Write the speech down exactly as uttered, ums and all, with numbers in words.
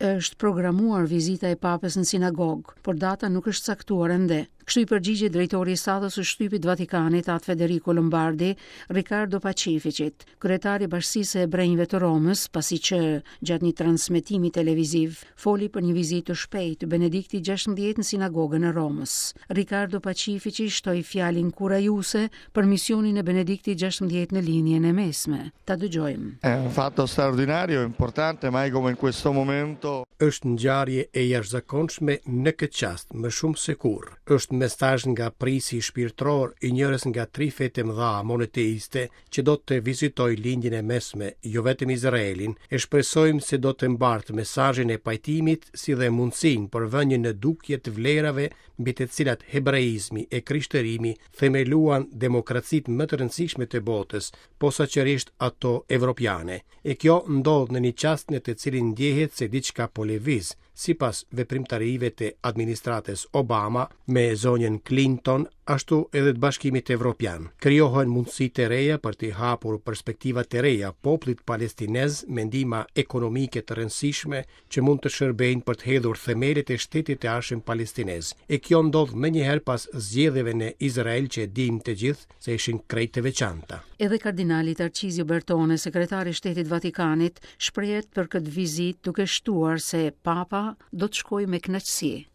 Është programuar vizita e Papës në sinagogë, por data nuk është caktuar ende. Kështu i përgjigjet drejtori i sallës së shtypit të Vatikanit, At Federico Lombardi, Riccardo Pacificit, kryetari i Bashkësisë së Hebrejve të Romës, pasi që gjatë një transmetimi televiziv foli për një vizitë të shpejtë të Benediktit gjashtëmbëdhjetë në sinagogën e Romës. Riccardo Pacifici shtoi fjalë inkurajuese për misionin e Benediktit gjashtëmbëdhjetë në Lindjen e Mesme. Ta dëgjojmë. È un fatto straordinario, importante, mai come in questo momento. Është ngjarje e jashtëzakonshme në këtë çast, më shumë se kurrë. Është mesazh nga prisi shpirtëror i njërës nga tri fetë e mëdha monoteiste që do të vizitojë Lindjen e Mesme, jo vetëm Izraelin, e shpresojmë se do të mbartë mesazhin e pajtimit si dhe mundësinë për vënien në dukje të vlerave mbi të cilat hebreizmi e krishtërimi themeluan demokracitë më të rëndësishme të botës, posaçërisht ato evropiane. E kjo ndodh në një çast në të cilin ndjehet se diçka po lëviz, sipas veprimtarive të administratës Obama me zonjën Clinton, ashtu edhe të Bashkimit Evropian. Krijohen mundësi të reja për të hapur perspektiva të reja popullit palestinez me ndihma ekonomike të rëndësishme që mund të shërbejnë për të hedhur themelet e shtetit të ardhshëm palestinez. E kjo ndodh menjëherë pas zgjedhjeve në Izrael që e dim të gjithë se ishin krejt të veçanta. Edhe kardinali Tarcizio Bertone, sekretari i Shtetit Vatikanit, shprehet për këtë vizitë duke shtuar se Papa do të shkojë me kënaqësi.